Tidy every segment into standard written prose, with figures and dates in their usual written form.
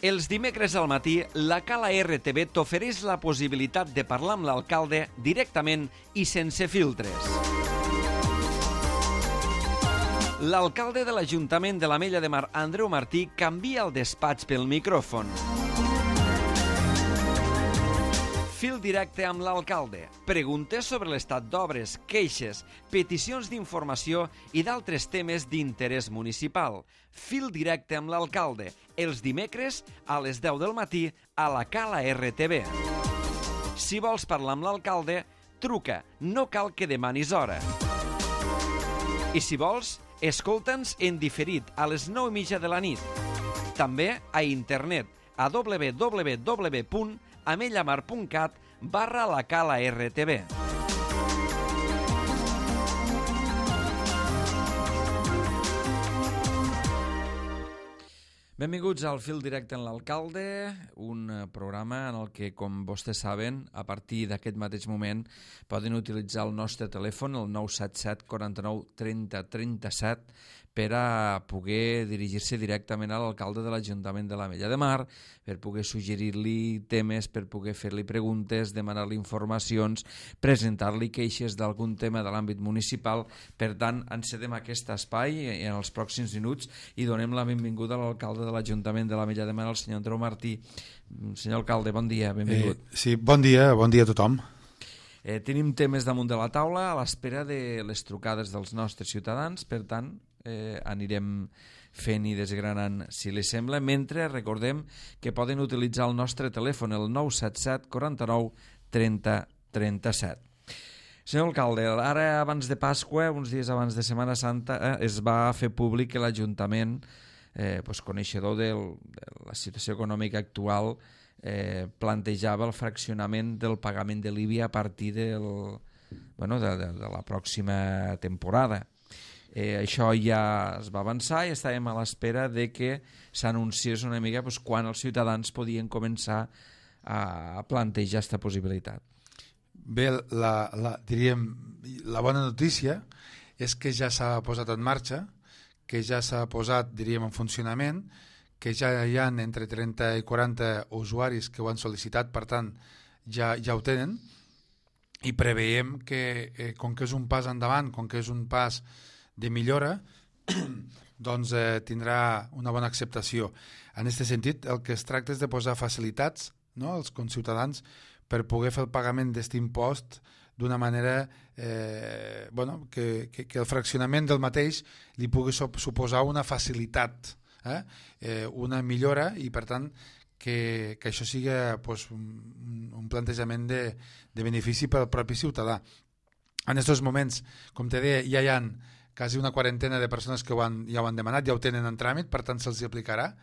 Els dimecres al matí, la Cala RTV t'ofereix la possibilitat de parlar amb l'alcalde directament i sense filtres. L'alcalde de l'Ajuntament de l'Ametlla de Mar, Andreu Martí, canvia el despatx pel micròfon. Fil directe amb l'alcalde. Preguntes sobre l'estat d'obres, queixes, peticions d'informació i d'altres temes d'interès municipal. Fil directe amb l'alcalde. Els dimecres a les 10 del matí a la Cala RTV. Si vols parlar amb l'alcalde, truca. No cal que demanis hora. I si vols, escolta'ns en diferit a les 9:30 de la nit. També a internet a www.amellamar.cat/la Cala RTV. Benvinguts al Fil Directe en l'Alcalde, un programa en el que, com vostès saben, a partir d'aquest mateix moment poden utilitzar el nostre telèfon, el 977 49 30 37, per a poder dirigir-se directament a l'alcalde de l'Ajuntament de l'Ametlla de Mar, per poder suggerir-li temes, per poder fer-li preguntes, demanar-li informacions, presentar-li queixes d'algun tema de l'àmbit municipal. Per tant, encedem aquest espai en els pròxims minuts i donem la benvinguda a l'alcalde de l'Ajuntament de l'Ametlla de Mar, el senyor Andreu Martí. Senyor alcalde, bon dia, benvingut. Sí, bon dia a tothom. Tenim temes damunt de la taula a l'espera de les trucades dels nostres ciutadans, per tant, anirem fent i desgranant, si li sembla, mentre recordem que poden utilitzar el nostre telèfon, el 977 49 30 37. Senyor alcalde, ara abans de Pasqua, uns dies abans de Setmana Santa, es va fer públic que l'Ajuntament, coneixedor de la situació econòmica actual, plantejava el fraccionament del pagament de l'IBI a partir de la pròxima temporada. Això ja es va avançar i estàvem a l'espera de que s'anunciés una mica quan els ciutadans podien començar a plantejar aquesta possibilitat. Bé, diríem, la bona notícia és que ja s'ha posat en marxa, que ja s'ha posat, diríem, en funcionament, que ja hi ha entre 30 i 40 usuaris que ho han sol·licitat, per tant, ja ho tenen, i preveiem que, com que és un pas endavant, com que és un pas de millora, doncs tindrà una bona acceptació. En aquest sentit, el que es tracta és de posar facilitats, no?, als conciutadans per poder fer el pagament d'aquest impost d'una manera que el fraccionament del mateix li pugui suposar una facilitat, una millora, i per tant que això sigui un plantejament de benefici per al propi ciutadà. En aquests moments, com te deia, ja hi ha quasi una quarantena de persones que ja ho han demanat, ja ho tenen en tràmit, per tant se'ls aplicarà,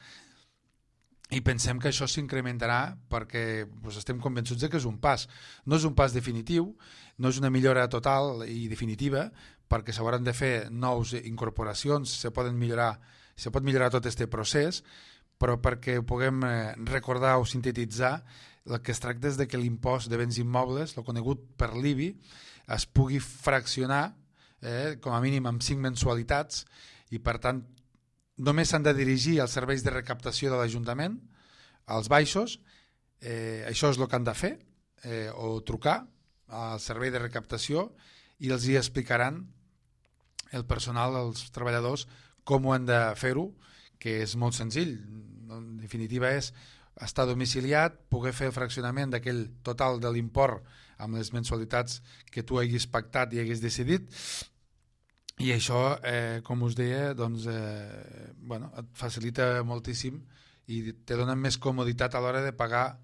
i pensem que això s'incrementarà perquè estem convençuts que és un pas. No és un pas definitiu, no és una millora total i definitiva, perquè s'hauran de fer nous incorporacions, se pot millorar tot aquest procés, però perquè ho puguem recordar o sintetitzar, el que es tracta és de que l'impost de béns immobles, el conegut per l'IBI, es pugui fraccionar com a mínim amb 5 mensualitats, i per tant només s'han de dirigir als serveis de recaptació de l'Ajuntament, als baixos, això és el que han de fer, o trucar al servei de recaptació i els hi explicaran el personal, els treballadors, com ho han de fer-ho, que és molt senzill. En definitiva és estar domiciliat, poder fer el fraccionament d'aquell total de l'import amb les mensualitats que tu haguis pactat i haguis decidit, i això, com us deia, et facilita moltíssim i te dona més comoditat a l'hora de pagar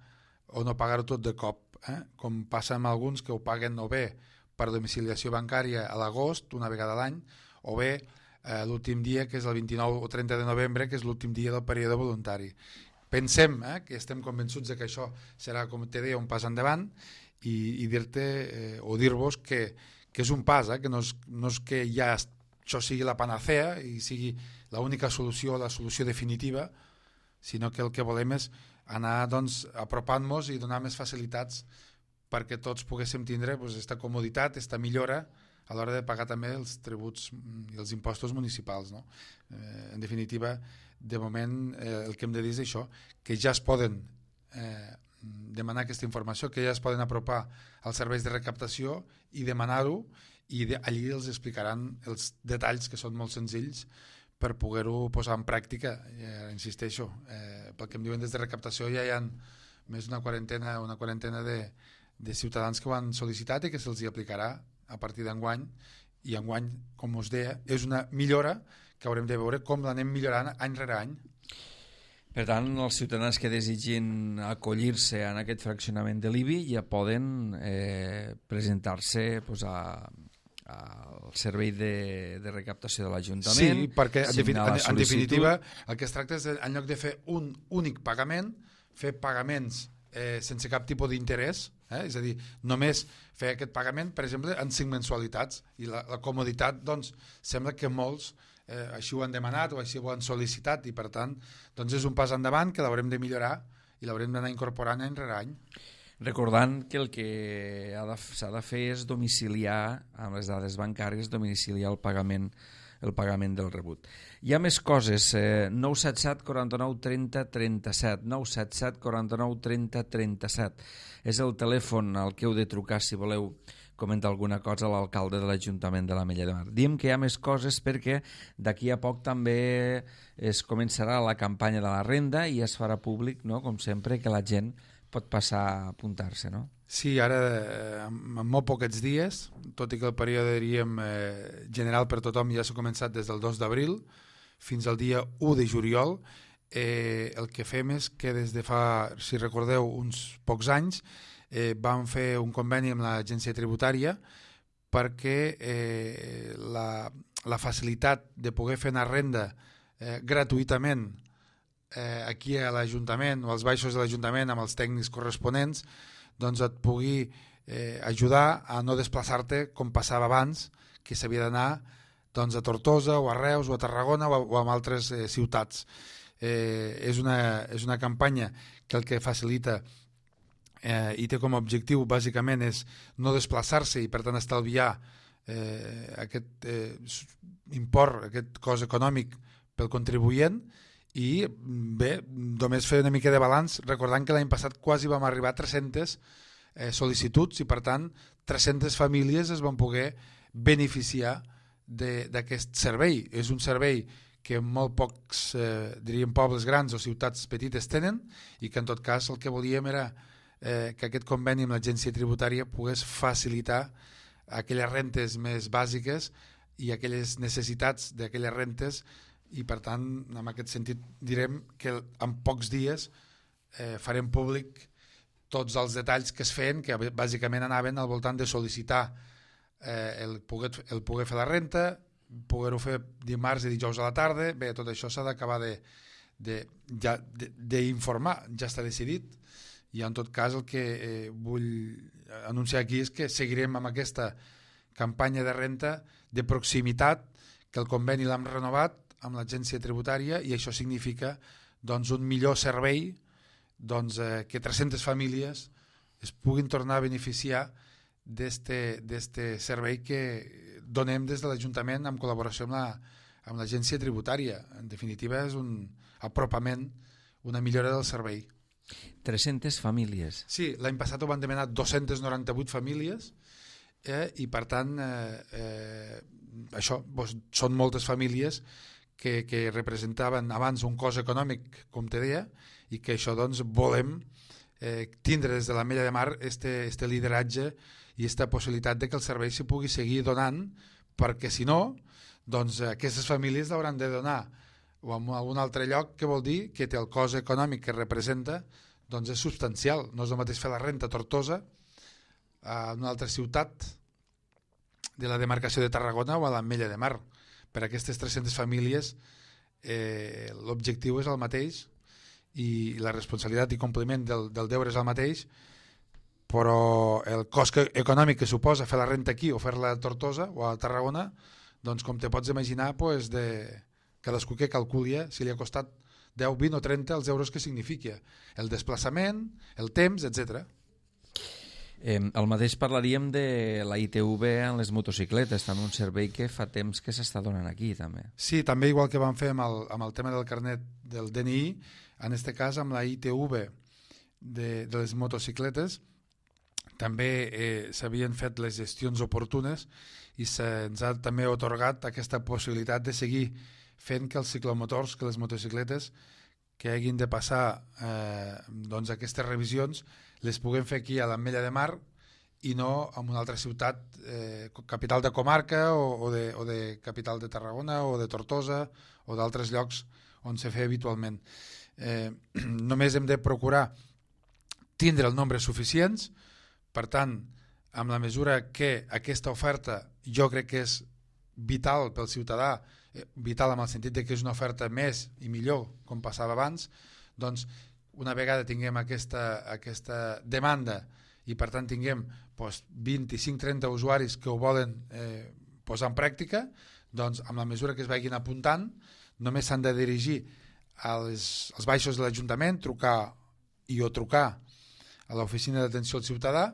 o no pagar-ho tot de cop, com passa amb alguns que ho paguen o bé per domiciliació bancària a l'agost, una vegada a l'any, o bé l'últim dia, que és el 29 o 30 de novembre, que és l'últim dia del període voluntari. Pensem que estem convençuts que això serà, com te deia, un pas endavant, i dir-te o dir-vos que és un pas, que no és que ja això sigui la panacea i sigui l'única solució, la solució definitiva, sinó que el que volem és anar apropant-nos i donar més facilitats perquè tots poguéssim tindre aquesta comoditat, aquesta millora a l'hora de pagar també els tributs i els impostos municipals, no? En definitiva, de moment el que hem de dir és això, que ja es poden demanar aquesta informació, que ja es poden apropar als serveis de recaptació i demanar-ho, i allí els explicaran els detalls, que són molt senzills, per poder-ho posar en pràctica. Insisteixo, pel que em diuen des de recaptació ja hi ha més d'una quarantena de ciutadans que ho han sol·licitat i que se'ls hi aplicarà a partir d'enguany, i enguany, com us deia, és una millora que haurem de veure com l'anem millorant any rere any. Per tant, els ciutadans que desitgin acollir-se en aquest fraccionament de l'IBI ja poden presentar-se al servei de recaptació de l'Ajuntament. Sí, perquè en definitiva el que es tracta és, en lloc de fer un únic pagament, fer pagaments sense cap tipus d'interès, és a dir, només fer aquest pagament, per exemple, en 5 mensualitats, i la comoditat, doncs, sembla que molts així ho han demanat o així ho han sol·licitat, i per tant doncs és un pas endavant que l'haurem de millorar i l'haurem d'anar incorporant any rere any. Recordant que el que s'ha de fer és domiciliar, amb les dades bancàries, domiciliar el pagament del rebut. Hi ha més coses, 977 49 30 37, 977 49 30 37. És el telèfon al que heu de trucar si voleu comentar alguna cosa a l'alcalde de l'Ajuntament de l'Ametlla de Mar. Diem que hi ha més coses perquè d'aquí a poc també es començarà la campanya de la renda i es farà públic, no?, com sempre, que la gent pot passar a apuntar-se, no? Sí, ara en molt poquets dies, tot i que el període, diríem, general per tothom ja s'ha començat des del 2 d'abril fins al dia 1 de juliol, el que fem és que des de fa, si recordeu, uns pocs anys, vam fer un conveni amb l'agència tributària perquè la facilitat de poder fer una renda gratuïtament aquí a l'Ajuntament o als baixos de l'Ajuntament amb els tècnics corresponents, doncs et pugui ajudar a no desplaçar-te com passava abans, que s'havia d'anar doncs, a Tortosa o a Reus o a Tarragona o a altres ciutats. És una campanya que el que facilita i té com a objectiu bàsicament és no desplaçar-se i per tant estalviar aquest import, aquest cost econòmic pel contribuent. I bé, només fer una mica de balanç recordant que l'any passat quasi vam arribar a 300 sol·licituds i per tant 300 famílies es van poder beneficiar d'aquest servei. És un servei que molt pocs, diríem, pobles grans o ciutats petites tenen i que en tot cas el que volíem era que aquest conveni amb l'agència tributària pogués facilitar aquelles rentes més bàsiques i aquelles necessitats d'aquelles rentes, i per tant en aquest sentit direm que en pocs dies farem públic tots els detalls que es feien, que bàsicament anaven al voltant de sol·licitar el poder fer la renta, poder-ho fer dimarts i dijous a la tarda. Bé, tot això s'ha d'acabar d'informar, ja està decidit, i en tot cas el que vull anunciar aquí és que seguirem amb aquesta campanya de renta de proximitat, que el conveni l'hem renovat amb l'agència tributària i això significa doncs, un millor servei, doncs, que 300 famílies es puguin tornar a beneficiar d'este servei que donem des de l'Ajuntament en col·laboració amb l'agència tributària. En definitiva és un apropament, una millora del servei. 300 famílies. Sí, l'any passat ho van demanar 298 famílies i per tant això són moltes famílies que representaven abans un cost econòmic, com te deia, i que això doncs volem tindre des de l'Ametlla de Mar este lideratge i aquesta possibilitat de que el servei s'hi pugui seguir donant, perquè si no, doncs aquestes famílies l'hauran de donar o en algun altre lloc, que vol dir que té el cost econòmic que representa, doncs és substancial. No és el mateix fer la renta a Tortosa, a una altra ciutat de la demarcació de Tarragona o a l'Ametlla de Mar. Per a aquestes 300 famílies l'objectiu és el mateix i la responsabilitat i compliment del deure és el mateix, però el cost econòmic que suposa fer la renta aquí o fer-la a Tortosa o a Tarragona, doncs com te pots imaginar, cadascú que calculi si li ha costat 10, 20 o 30 els euros que significa el desplaçament, el temps, etc. El mateix parlaríem de la ITV en les motocicletes, també un servei que fa temps que s'està donant aquí, també. Sí, també igual que vam fer amb el tema del carnet del DNI, en aquest cas amb la ITV de les motocicletes, també s'havien fet les gestions oportunes i se'ns ha també otorgat aquesta possibilitat de seguir fent que els ciclomotors, que les motocicletes que hagin de passar doncs aquestes revisions les puguem fer aquí a l'Ametlla de Mar i no en una altra ciutat capital de comarca o de capital de Tarragona o de Tortosa o d'altres llocs on se fa habitualment. Només hem de procurar tindre el nombre suficients. Per tant, amb la mesura que aquesta oferta jo crec que és vital pel ciutadà, vital en el sentit de que és una oferta més i millor, com passava abans, doncs una vegada tinguem aquesta demanda i per tant tinguem 25-30 usuaris que ho volen posar en pràctica, doncs amb la mesura que es vagin apuntant només s'han de dirigir als baixos de l'Ajuntament, trucar a l'oficina d'atenció al ciutadà,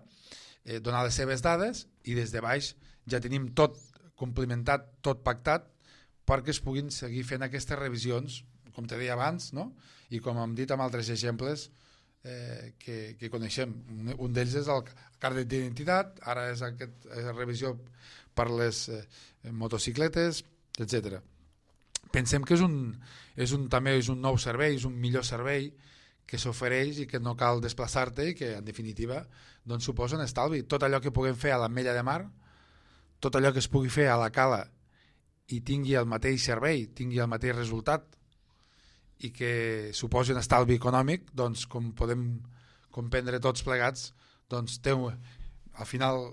donar les seves dades i des de baix ja tenim tot complimentat, tot pactat perquè es puguin seguir fent aquestes revisions, com te deia abans, no? I com hem dit amb altres exemples que coneixem. Un d'ells és el carnet d'identitat, ara és aquesta revisió per les motocicletes, etc. Pensem que també és un nou servei, és un millor servei que s'ofereix i que no cal desplaçar-te i que en definitiva doncs, suposa un estalvi. Tot allò que puguem fer a l'Ametlla de Mar, tot allò que es pugui fer a la Cala i tingui el mateix servei, tingui el mateix resultat i que suposi un estalvi econòmic, doncs com podem comprendre tots plegats, doncs al final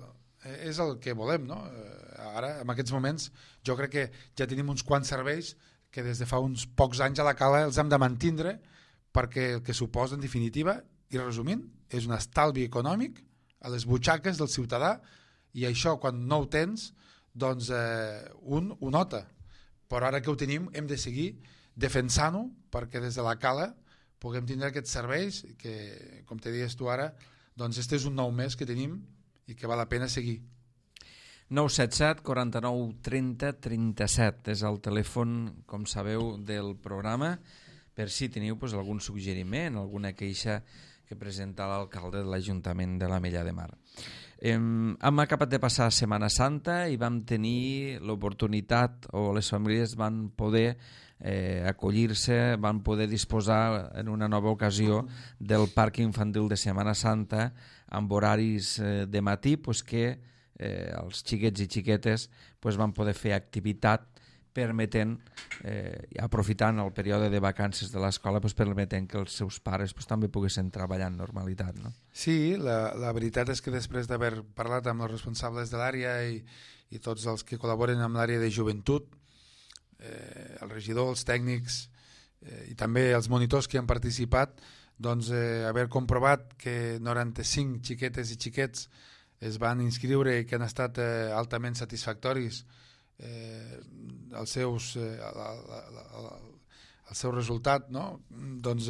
és el que volem, no? Ara, en aquests moments, jo crec que ja tenim uns quants serveis que des de fa uns pocs anys a la Cala els hem de mantindre perquè el que suposa en definitiva, i resumint, és un estalvi econòmic a les butxaques del ciutadà i això quan no ho tens doncs un ho nota, però ara que ho tenim hem de seguir defensant-ho perquè des de la Cala puguem tindre aquests serveis que, com te dius tu ara, doncs este és un nou mes que tenim i que val la pena seguir. 977 49 30 37 és el telèfon, com sabeu, del programa per si teniu algun suggeriment, alguna queixa que presenta l'alcalde de l'Ajuntament de l'Ametlla de Mar. Hem acabat de passar Setmana Santa i vam tenir l'oportunitat, o les famílies van poder acollir-se, van poder disposar en una nova ocasió del parc infantil de Setmana Santa amb horaris de matí que els xiquets i xiquetes van poder fer activitat permetent, aprofitant el període de vacances de l'escola, permetent que els seus pares també poguessin treballar en normalitat. No? Sí, la veritat és que després d'haver parlat amb els responsables de l'àrea i tots els que col·laboren amb l'àrea de joventut, el regidor, els tècnics i també els monitors que han participat, doncs haver comprovat que 95 xiquetes i xiquets es van inscriure i que han estat altament satisfactoris el seu resultat, no? Doncs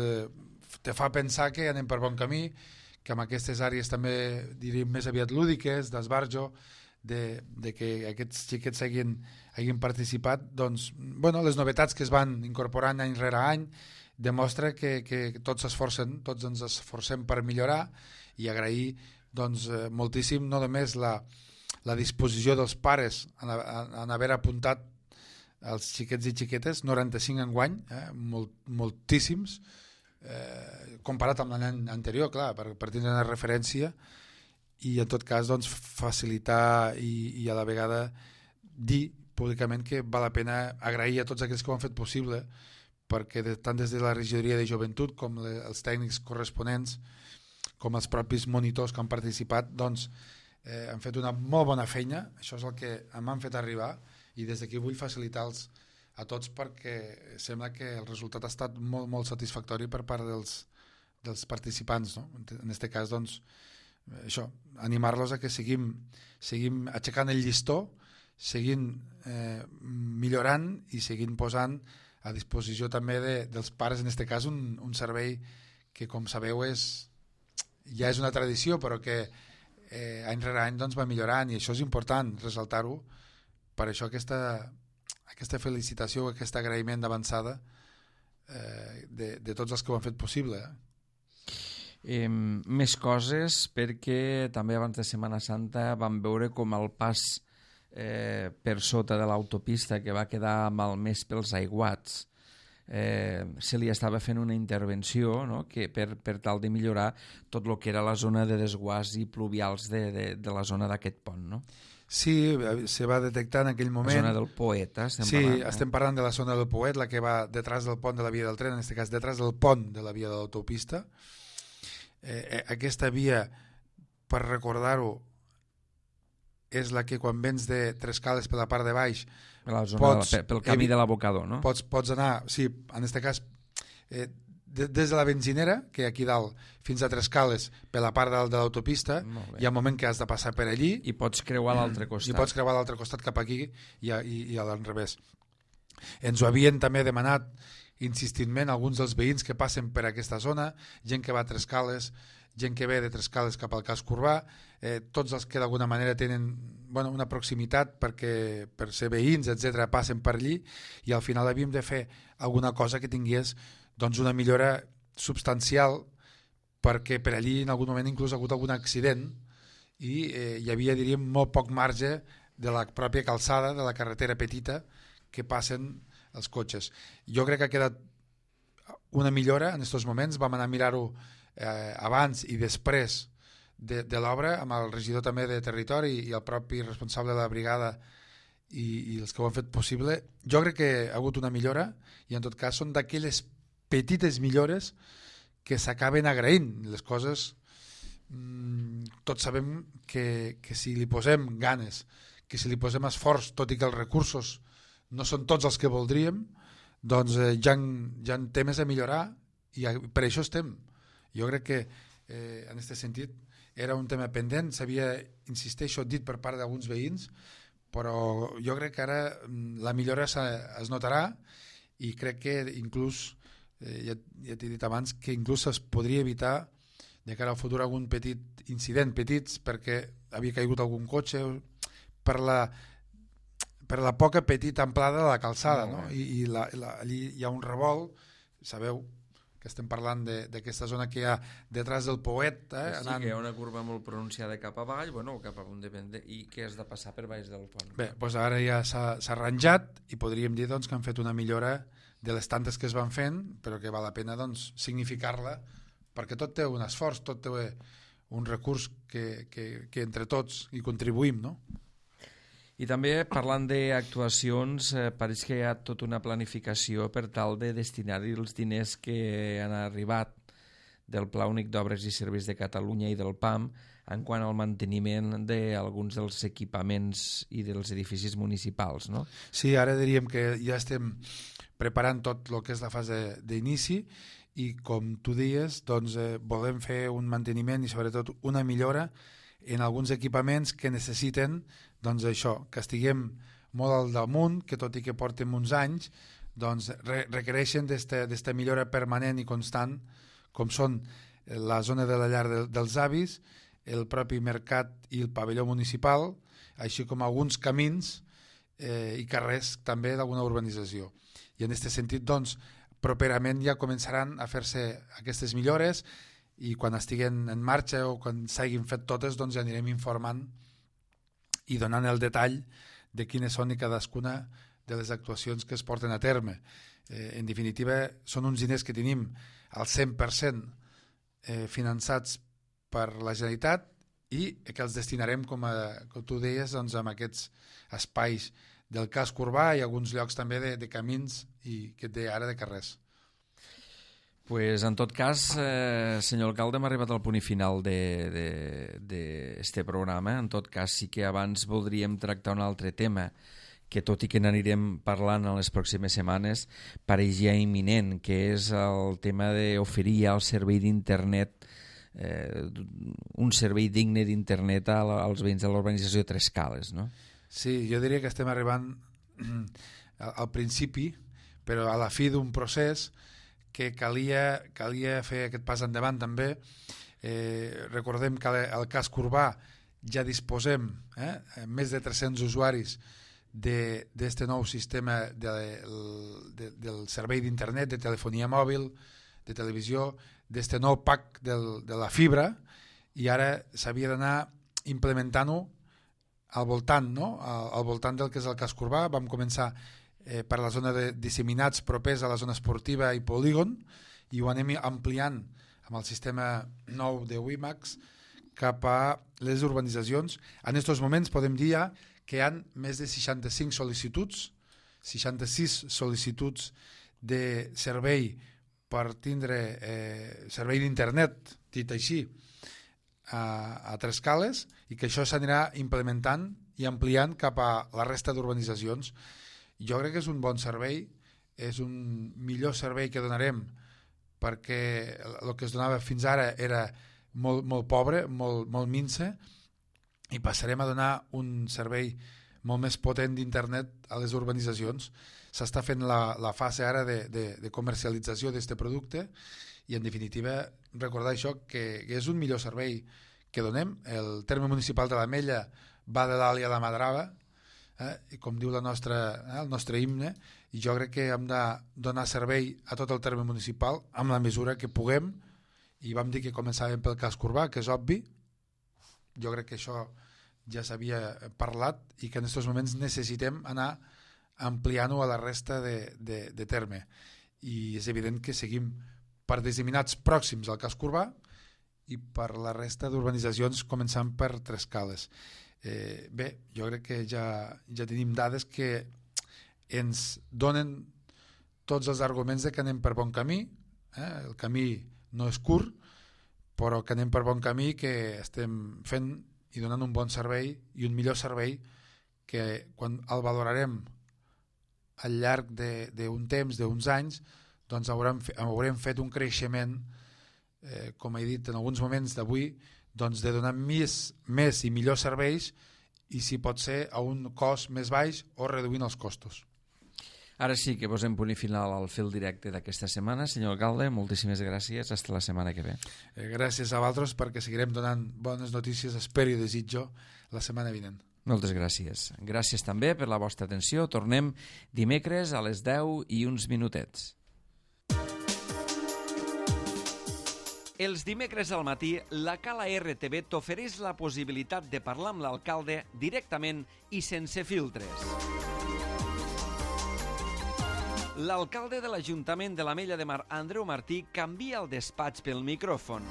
te fa pensar que anem per bon camí, que amb aquestes àrees també diríem més aviat lúdiques, d'esbarjo, de que aquests xiquets hagin participat, doncs, bueno, les novetats que es van incorporant any rere any demostra que tots s'esforcen, tots ens esforcem per millorar i agrair doncs, moltíssim no només la disposició dels pares en haver apuntat els xiquets i xiquetes, 95 enguany, moltíssims, comparat amb l'any anterior, clar, per tindre una referència i en tot cas doncs, facilitar i a la vegada dir públicament que val la pena agrair a tots aquells que ho han fet possible perquè tant des de la regidoria de joventut com els tècnics corresponents com els propis monitors que han participat doncs han fet una molt bona feina, això és el que m'han fet arribar i des d'aquí vull facilitar-los a tots perquè sembla que el resultat ha estat molt, molt satisfactori per part dels participants, no? En aquest cas doncs això, animar-los a que seguim aixecant el llistó, seguint millorant i seguint posant a disposició també dels pares, en aquest cas un servei que com sabeu ja és una tradició però que any rere any doncs, va millorant, i això és important ressaltar-ho. Per això aquesta felicitació, aquest agraïment d'avançada de tots els que ho han fet possible. Més coses, perquè també abans de Setmana Santa vam veure com el pas per sota de l'autopista, que va quedar malmès pels aiguats, se li estava fent una intervenció, no?, que per tal de millorar tot el que era la zona de desguàs i pluvials de la zona d'aquest pont, no? Sí, se va detectar en aquell moment... La zona del Poet, estem sí, parlant. Estem parlant de la zona del Poet, la que va detrás del pont de la via del tren, en aquest cas detrás del pont de la via de l'autopista. Aquesta via, per recordar-ho, és la que quan vens de Trescales per la part de baix La zona pel camí de l'abocador, no? Pots anar, sí, en aquest cas des de la benzinera, que aquí dalt, fins a Trescales per la part dalt de l'autopista, hi ha un moment que has de passar per allí i pots creuar l'altre costat. I pots creuar l'altre costat cap aquí i a l'enrevés. Ens ho havien també demanat insistentment alguns dels veïns que passen per aquesta zona, gent que va a Trescales, gent que ve de Trescales cap al casc urbà, tots els que d'alguna manera tenen una proximitat perquè per ser veïns, etc, passen per allí, i al final havíem de fer alguna cosa que tingués doncs, una millora substancial, perquè per allí en algun moment inclús ha hagut algun accident i hi havia, diríem, molt poc marge de la pròpia calçada, de la carretera petita que passen els cotxes. Jo crec que ha quedat una millora en aquests moments. Vam anar a mirar-ho abans i després de l'obra, amb el regidor també de territori i el propi responsable de la brigada i els que ho han fet possible. Jo crec que ha hagut una millora i en tot cas són d'aquelles petites millores que s'acaben agraint. Les coses tots sabem que si li posem ganes, que si li posem esforç, tot i que els recursos no són tots els que voldríem, doncs ja ha temes a millorar i per això estem. Jo crec que en aquest sentit era un tema pendent, s'havia, insisteixo, dit per part d'alguns veïns, però jo crec que ara la millora es notarà i crec que inclús, ja t'he dit abans, que inclús es podria evitar de cara al futur algun petit incident, petits, perquè havia caigut algun cotxe per la poca petita amplada de la calçada, no? I allí hi ha un revolt, sabeu que estem parlant d'aquesta zona que hi ha detrás del Poet. Sí, que hi ha una curva molt pronunciada cap avall, cap amunt depèn, i que has de passar per baix del pont. Bé, doncs ara ja s'ha arranjat i podríem dir doncs, que han fet una millora de les tantes que es van fent, però que val la pena doncs, significar-la, perquè tot té un esforç, tot té un recurs que entre tots hi contribuïm, no? I també, parlant d'actuacions, pareix que hi ha tota una planificació per tal de destinar-hi els diners que han arribat del Pla Únic d'Obres i Serveis de Catalunya i del PAM en quant al manteniment d'alguns dels equipaments i dels edificis municipals, no? Sí, ara diríem que ja estem preparant tot el que és la fase d'inici i, com tu deies, doncs, volem fer un manteniment i sobretot una millora en alguns equipaments que necessiten doncs això, que estiguem molt al damunt, que tot i que portem uns anys, doncs requereixen d'esta millora permanent i constant, com són la zona de la llar dels avis, el propi mercat i el pavelló municipal, així com alguns camins i carrers també d'alguna urbanització. I en aquest sentit, doncs, properament ja començaran a fer-se aquestes millores i quan estiguen en marxa o quan s'hagin fet totes, doncs ja anirem informant i donant el detall de quines són i cadascuna de les actuacions que es porten a terme. En definitiva, són uns diners que tenim al 100% finançats per la Generalitat i que els destinarem, com tu deies, doncs, amb aquests espais del casc urbà i alguns llocs també de camins i que et deia ara de carrers. Pues, en tot cas, senyor alcalde, hem arribat al punt i final d'este programa. En tot cas, sí que abans voldríem tractar un altre tema que, tot i que n'anirem parlant en les pròximes setmanes, pareixia imminent, que és el tema d'oferir el servei d'internet, un servei digne d'internet als veïns de l'urbanització Trescales, no? Sí, jo diria que estem arribant al principi, però a la fi d'un procés que calia fer aquest pas endavant també. Recordem que el casc urbà ja disposem més de 300 usuaris d'aquest nou sistema del servei d'internet, de telefonia mòbil, de televisió, d'aquest nou pack de la fibra, i ara s'havia d'anar implementant-ho al voltant, no? Al voltant del que és el casc urbà. Vam començar per la zona de disseminats propers a la zona esportiva i polígon, i ho anem ampliant amb el sistema nou de WiMAX cap a les urbanitzacions. En aquests moments podem dir ja que hi ha més de 65 sol·licituds, 66 sol·licituds de servei per tindre servei d'internet, dit així, a Trescales, i que això s'anirà implementant i ampliant cap a la resta d'urbanitzacions. Jo crec que és un bon servei, és un millor servei que donarem, perquè el que es donava fins ara era molt pobre, molt mince, i passarem a donar un servei molt més potent d'internet a les urbanitzacions. S'està fent la fase ara de comercialització d'aquest producte, i en definitiva recordar això, que és un millor servei que donem. El terme municipal de l'Ametlla va de l'Àlia a la Madrava, com diu el nostre himne, i jo crec que hem de donar servei a tot el terme municipal amb la mesura que puguem, i vam dir que començàvem pel casc urbà, que és obvi. Jo crec que això ja s'havia parlat i que en aquests moments necessitem anar ampliant-ho a la resta de terme, i és evident que seguim per disseminats pròxims al casc urbà i per la resta d'urbanitzacions, començant per Trescales. Bé, jo crec que ja tenim dades que ens donen tots els arguments de que anem per bon camí. El camí no és curt, però que anem per bon camí, que estem fent i donant un bon servei i un millor servei, que quan el valorarem al llarg d'un temps, d'uns anys, doncs haurem fet un creixement, com he dit en alguns moments d'avui, doncs de donar més i millors serveis, i si pot ser a un cost més baix o reduint els costos. Ara sí que posem punt i final al fil directe d'aquesta setmana. Senyor alcalde, moltíssimes gràcies. Hasta la setmana que ve. Gràcies a vosaltres, perquè seguirem donant bones notícies, espero i desitjo, la setmana vinent. Moltes gràcies. Gràcies també per la vostra atenció. Tornem dimecres a les 10 i uns minutets. Els dimecres al matí, la Cala RTV t'ofereix la possibilitat de parlar amb l'alcalde directament i sense filtres. L'alcalde de l'Ajuntament de l'Ametlla de Mar, Andreu Martí, canvia el despatx pel micròfon.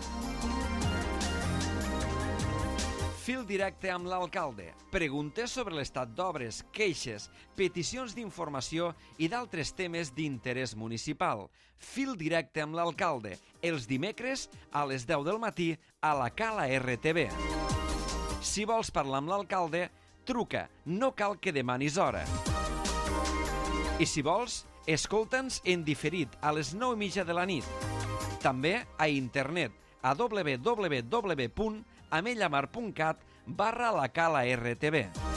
Fil directe amb l'alcalde. Preguntes sobre l'estat d'obres, queixes, peticions d'informació i d'altres temes d'interès municipal. Fil directe amb l'alcalde. Els dimecres a les 10 del matí a la Cala RTV. Si vols parlar amb l'alcalde, truca. No cal que demanis hora. I si vols, escolta'ns en diferit a les 9:30 de la nit. També a internet a www.amellamar.cat/la Cala RTV.